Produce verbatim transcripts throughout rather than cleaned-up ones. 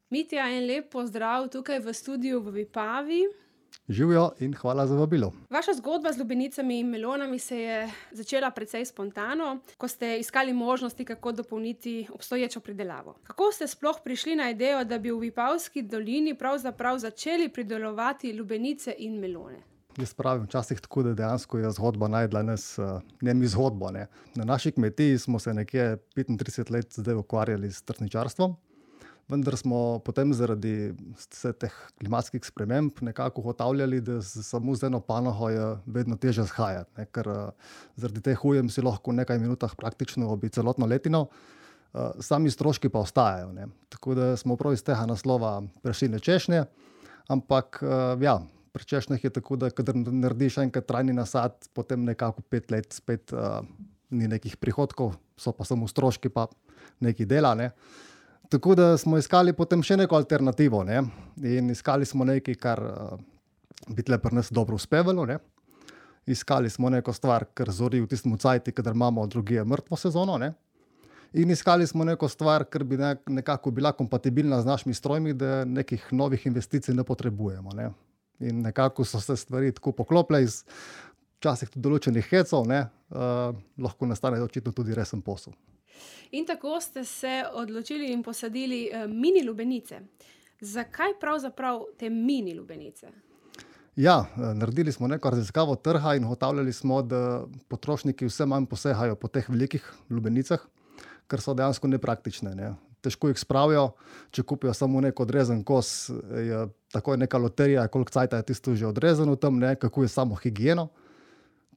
Mitja, en lep pozdrav tukaj v studiu v Vipavi. Živjo in hvala za vabilo. Vaša zgodba z lubenicami in melonami se je začela precej spontano, ko ste iskali možnosti, kako dopolniti obstoječo pridelavo. Kako ste sploh prišli na idejo, da bi v Vipavski dolini pravzaprav začeli pridelovati lubenice in melone? Jaz pravim včasih tako, da dejansko je zgodba najdla nas, ne mi zgodbo, ne. Na naši kmetiji smo se nekje petintrideset let zdaj ukvarjali s trsničarstvom, vendar smo potem zaradi vseh teh klimatskih sprememb nekako ugotavljali, da samo z eno panogo je vedno težje shajati, ne, ker zaradi teh ujm si lahko v nekaj minutah praktično obi celotno letino, sami stroški pa ostajajo, ne. Tako da smo prav iz tega naslova prešli na češnje, ampak ja, pri češnjah je tako, da kadar narediš enkrat trajni nasad, potem nekako pet let spet uh, ni nekih prihodkov, so pa samo stroški pa nekaj dela, ne. Tako da smo iskali potem še neko alternativo, ne, in iskali smo nekaj, kar uh, bi tle pri nas dobro uspevalo, ne. Iskali smo neko stvar, kar zori v tistem cajtu, kadar imamo drugje mrtvo sezono, ne. In iskali smo neko stvar, kar bi nekako bila kompatibilna z našimi strojmi, da nekih novih investicij ne potrebujemo, ne. In nekako so se stvari tako poklopile iz včasih tudi določenih hecov, ne, uh, lahko nastane očitno tudi resen posel. In tako ste se odločili in posadili uh, mini lubenice. Zakaj pravzaprav te mini lubenice? Ja, naredili smo neko raziskavo trga in ugotavljali smo, da potrošniki vse manj posegajo po teh velikih lubenicah, ker so dejansko nepraktične, ne. Težko jih spravijo, če kupijo samo nek odrezen kos, je takoj neka loterija, koliko cajta je tisto že odrezano tam, ne, kako je samo higieno.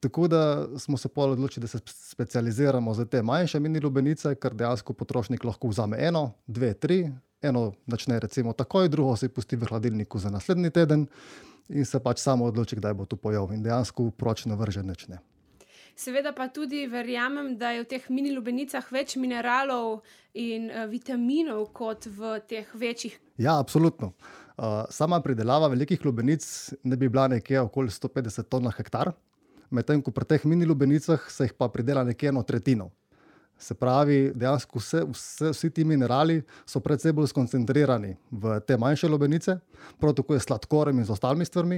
Tako da smo se pol odločili, da se specializiramo za te manjše mini lubenice, ker dejansko potrošnik lahko vzame eno, dve, tri, eno načne recimo takoj, drugo se pusti v hladilniku za naslednji teden in se pač samo odloči, kdaj bo to pojel in dejansko proč ne vrže nič, ne. Seveda pa tudi verjamem, da je v teh mini lubenicah več mineralov in uh, vitaminov kot v teh večjih. Ja, absolutno. Uh, sama pridelava velikih lubenic ne bi bila nekje okoli sto petdeset ton na hektar, medtem ko pri teh mini lubenicah se jih pa pridela nekje eno tretjino. Se pravi, dejansko vse, vse, vsi ti minerali so precej bolj skoncentrirani v te manjše lubenice, prav tako je s sladkorjem in z ostalimi stvarmi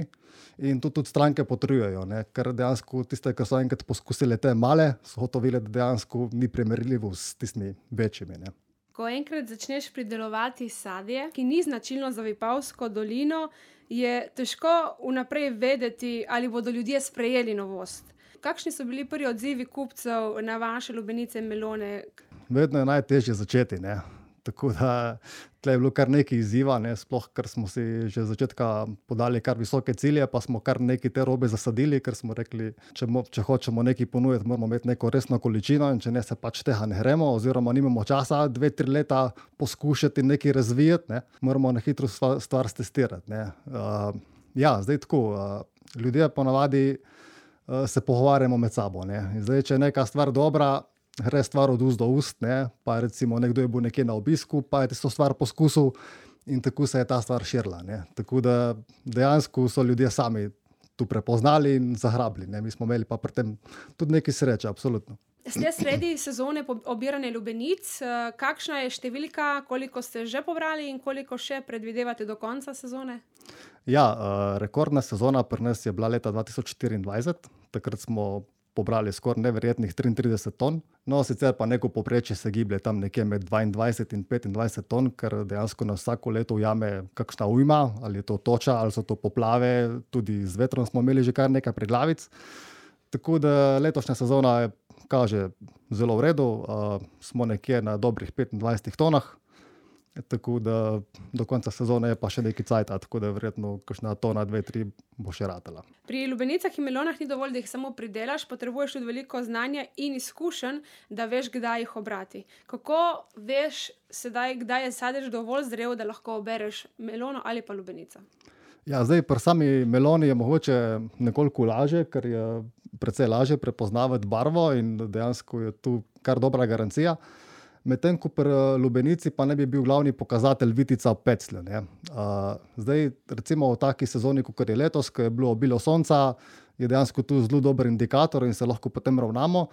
in to tudi stranke potrjujejo, ne, ker dejansko tiste, ki so enkrat poskusili te male, so ugotovili, da dejansko ni primerljivo s tistimi večjimi, ne. Ko enkrat začneš pridelovati sadje, ki ni značilno za Vipavsko dolino, je težko vnaprej vedeti, ali bodo ljudje sprejeli novost. Kakšni so bili prvi odzivi kupcev na vaše lubenice in melone? Vedno je najtežje začeti, ne. Tako da tle je bilo kar nekaj izziva, ne, sploh ker smo si že z začetka podali kar visoke cilje, pa smo kar nekaj te robe zasadili, ker smo rekli, če, mo, če hočemo nekaj ponuditi, moramo imeti neko resno količino in če ne, se pač tega ne gremo oziroma nimamo časa dve, tri leta poskušati nekaj razvijati, ne, moramo na hitro stvar, stvar stestirati, ne. Uh, ja, zdaj tako, uh, ljudje ponavadi uh, se pogovarjamo med sabo, ne. In zdaj, če je neka stvar dobra, gre stvar od ust do ust, ne, pa recimo nekdo je bil nekje na obisku, pa je tisto stvar poskusil in tako se je ta stvar širila, ne. Tako da dejansko so ljudje sami tu prepoznali in zagrabili, ne. Mi smo imeli pa pri tem tudi nekaj sreče, absolutno. Ste sredi sezone obiranja lubenic, kakšna je številka, koliko ste že pobrali in koliko še predvidevate do konca sezone? Ja, rekordna sezona pri nas je bila leta dva tisoč štiriindvajset, takrat smo pobrali skoraj neverjetnih triintrideset ton, no sicer pa neko povprečje se giblje tam nekje med dvaindvajset in petindvajset ton, ker dejansko nas vsako leto ujame kakšna ujma, ali je to toča, ali so to poplave, tudi z vetrom smo imeli že kar nekaj preglavic. Tako da letošnja sezona kaže zelo v redu, uh, smo nekje na dobrih petindvajsetih tonah, tako da do konca sezone je pa še nekaj cajta, tako da verjetno kakšna tona, dve, tri bo še ratala. Pri lubenicah in melonah ni dovolj, da jih samo pridelaš, potrebuješ tudi veliko znanja in izkušenj, da veš, kdaj jih obrati. Kako veš sedaj, kdaj je sadež dovolj zrel, da lahko obereš melono ali pa lubenico? Ja, zdaj pri sami meloni je mogoče nekoliko lažje, ker je precej lažje prepoznavati barvo in dejansko je tu kar dobra garancija. Medtem ko pri lubenici pa ne bi bil glavni pokazatelj vitica v peclju, ne. Uh, zdaj recimo v taki sezoni, kot je letos, ko je bilo obilo sonca, je dejansko tu zelo dober indikator in se lahko potem ravnamo.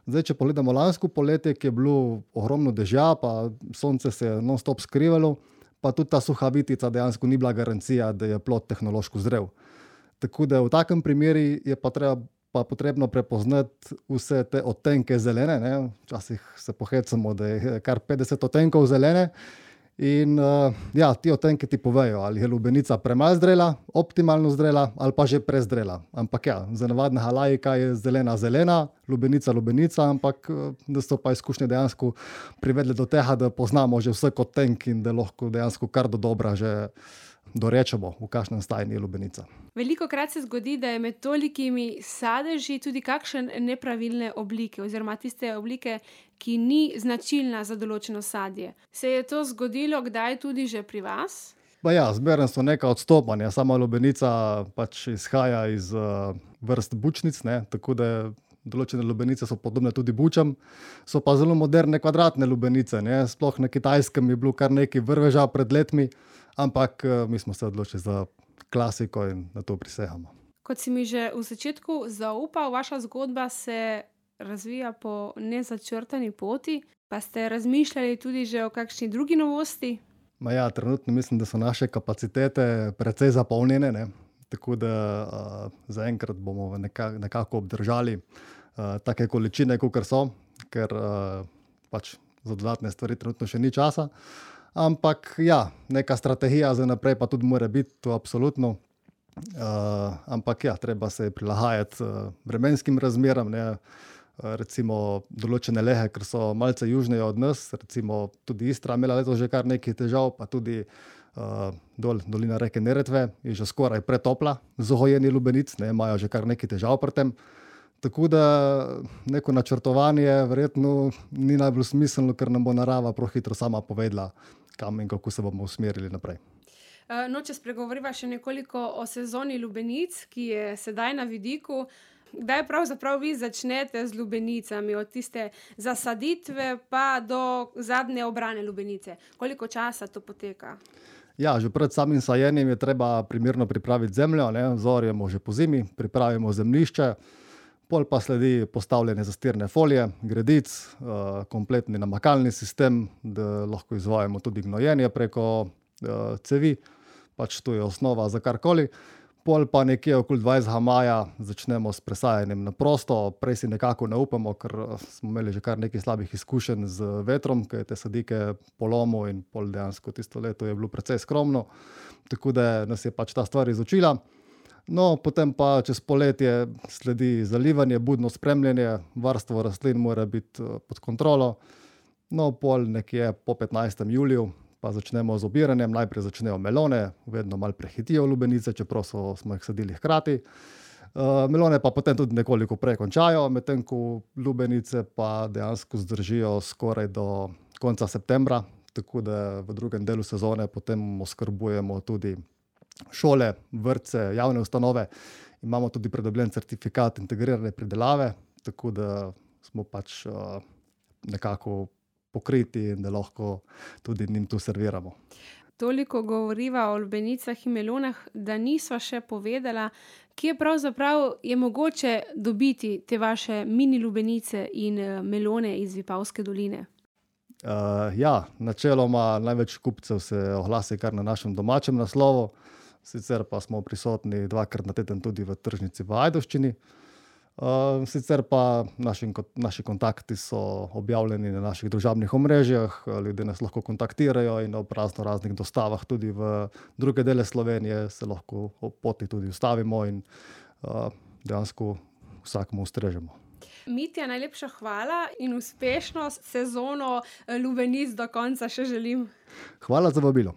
Zdaj, če pogledamo lansko poletje, ki je bilo ogromno dežja, pa sonce se je non-stop skrivalo, pa pa tudi ta suha vitica dejansko ni bila garancija, da je plod tehnološko zrel. Tako da v takem primeru je pa treba pa potrebno prepoznati vse te odtenke zelene, ne. Včasih se pohecamo, da je kar petdeset odtenkov zelene. In uh, ja, ti odtenki ti povejo, ali je lubenica premalo zrela, optimalno zrela ali pa že prezrela. Ampak ja, za navadnega laika je zelena zelena, lubenica lubenica, ampak da so pa izkušnje dejansko privedle do tega, da poznamo že vsak odtenk in da lahko dejansko kar do dobra že dorečemo, v kakšnem stanju je lubenica. Velikokrat se zgodi, da je med tolikimi sadeži tudi kakšen nepravilne oblike oziroma tiste oblike, ki ni značilna za določeno sadje. Se je to zgodilo kdaj tudi že pri vas? Pa ja, zmeraj so neka odstopanja. Sama lubenica pač izhaja iz uh, vrst bučnic, ne, tako da določene lubenice so podobne tudi bučam, so pa zelo moderne kvadratne lubenice, ne. Sploh na Kitajskem je bilo kar nekaj vrveža pred letmi, ampak uh, mi smo se odločili za klasiko in na to prisegamo. Kot si mi že v začetku zaupal, vaša zgodba se razvija po nezačrtani poti, pa ste razmišljali tudi že o kakšni drugi novosti? Ma ja, trenutno mislim, da so naše kapacitete precej zapolnjene, ne. Tako da uh, zaenkrat bomo nekako, nekako obdržali uh, take količine, kakor so, ker uh, pač za dodatne stvari trenutno še ni časa. Ampak ja, neka strategija za naprej pa tudi mora biti, to absolutno. Uh, ampak ja, treba se prilagajati uh, vremenskim razmeram, ne. Uh, recimo določene lehe, ker so malce južneje od nas, recimo tudi Istra imela letos že kar nekaj težav, pa tudi uh, dol, dolina reke Neretve je že skoraj pretopla z gojenjem lubenic, ne, imajo že kar nekaj težav pri tem. Tako da neko načrtovanje verjetno ni najbolj smiselno, ker nam bo narava prav hitro sama povedala, kam in kako se bomo usmerili naprej. No, če spregovoriva še nekoliko o sezoni lubenic, ki je sedaj na vidiku. Kdaj pravzaprav vi začnete z lubenicami, od tiste zasaditve pa do zadnje obrane lubenice? Koliko časa to poteka? Ja, že pred samim sajenjem je treba primerno pripraviti zemljo, ne, zorjemo že pozimi, pripravimo zemljišče, pol pa sledi postavljanje zastirne folije, gredic, uh, kompletni namakalni sistem, da lahko izvajamo tudi gnojenje preko uh, cevi, pač to je osnova za karkoli. Pol pa nekje okoli dvajsetega maja začnemo s presajanjem na prosto, prej si nekako ne upamo, ker smo imeli že kar nekaj slabih izkušenj z vetrom, ki je te sadike polomil in pol dejansko tisto leto je bilo precej skromno, tako da nas je pač ta stvar izučila. No, potem pa čez poletje sledi zalivanje, budno spremljanje, varstvo rastlin mora biti pod kontrolo. No, pol nekje po petnajstem juliju pa začnemo z obiranjem, najprej začnejo melone, vedno malo prehitijo lubenice, čeprav so, smo jih sadili hkrati. Uh, melone pa potem tudi nekoliko prej končajo, medtem ko lubenice pa dejansko zdržijo skoraj do konca septembra, tako da v drugem delu sezone potem oskrbujemo tudi šole, vrtce, javne ustanove. Imamo tudi pridobljen certifikat integrirane pridelave, tako da smo pač uh, nekako pokriti in da lahko tudi njim tu serviramo. Toliko govoriva o lubenicah in melonah, da nisva še povedala, kje pravzaprav je mogoče dobiti te vaše mini lubenice in melone iz Vipavske doline. Uh, ja, načeloma največ kupcev se oglasi kar na našem domačem naslovu, sicer pa smo prisotni dvakrat na teden tudi v tržnici v Ajdovščini. Uh, sicer pa naši, naši kontakti so objavljeni na naših družabnih omrežjih, ljudje nas lahko kontaktirajo in ob razno raznih dostavah tudi v druge dele Slovenije se lahko ob poti tudi ustavimo in uh, dejansko vsakemu ustrežemo. Mitja, najlepša hvala in uspešno sezono lubenic do konca še želim. Hvala za vabilo.